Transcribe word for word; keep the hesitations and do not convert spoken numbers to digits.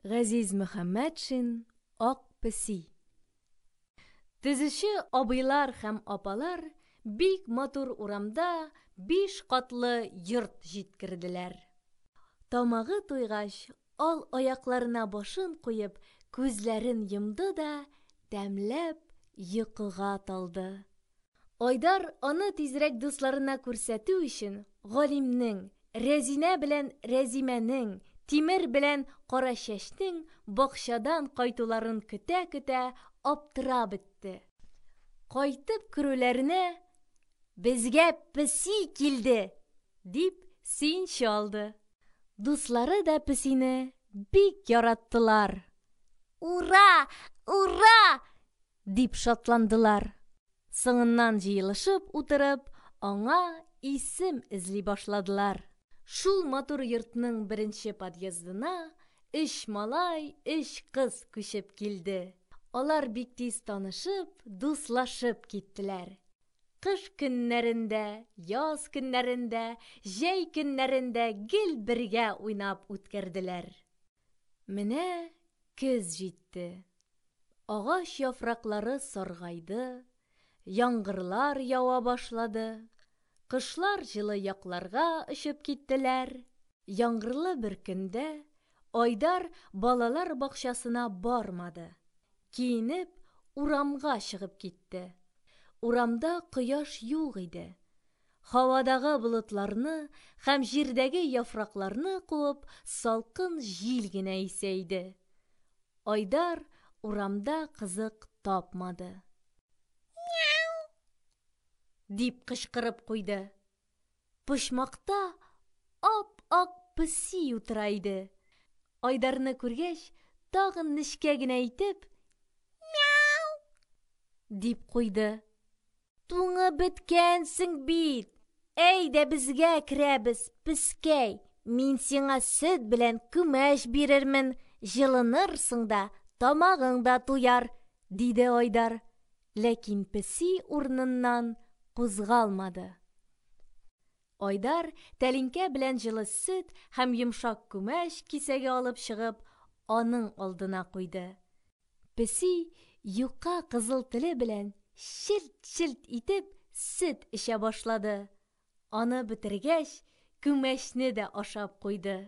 Газиз Мөхәммәтшин "Ак песи". Төзүче абыйлар һәм апалар бик матур урамда биш катлы йорт җиткерделәр. Тамагы туйгач, ал аякларына башын куеп, күзләрен йомды да тәмләп йокыга талды. Айдар аны тизрәк дусларына күрсәтү өчен Галимнең, Рәзинә белән Рәзимәнең, Тимер белән Карачәчнең бакчадан кайтуларын көтә-көтә аптырап бетте. Кайтып керүләренә: "Безгә песи килде!" – дип сөенче алды. Дуслары да песине бик яраттылар. "Ура, ура!" – дип шатландылар. Соңыннан җыелышып утырып, аңа исем эзли башладылар. Шул матур йортның беренче подъездына өч малай, өч кыз күчеп килде. Алар бик тиз танышып, дуслашып киттеләр. Кыш көннәрендә, яз көннәрендә, җәй көннәрендә гел бергә уйнап үткәрделәр. Менә көз җитте. Агач яфраклары саргайды, яңгырлар ява башлады. Кошлар җылы якларга очып киттеләр. Яңгырлы бер көндә Айдар балалар бакчасына бармады. Киенеп, урамга чыгып китте. Урамда кояш юк иде. Һавадагы болытларны һәм җирдәге яфракларны куып, салкын җил генә исә иде. Айдар урамда кызык тапмады. Дип кычкырып куйды. Почмакта ап-ак песи утыра иде. Айдарны күргәч, тагын нечкә генә итеп: "Мяу!" – дип куйды. "Туңып беткәнсең бит! Әйдә безгә керәбез, пескәй, мин сиңа сөт белән күмәч бирермен, җылынырсың да, тамагың да туяр", – диде Айдар. Ләкин песи урыныннан кузгалмады. Айдар тәлинкә белән җылы сөт һәм йомшак күмәч кисәге алып чыгып, аның алдына куйды. Песи юка кызыл теле белән челт-челт итеп сөт эчә башлады. Аны бетергәч, күмәчне дә ашап куйды.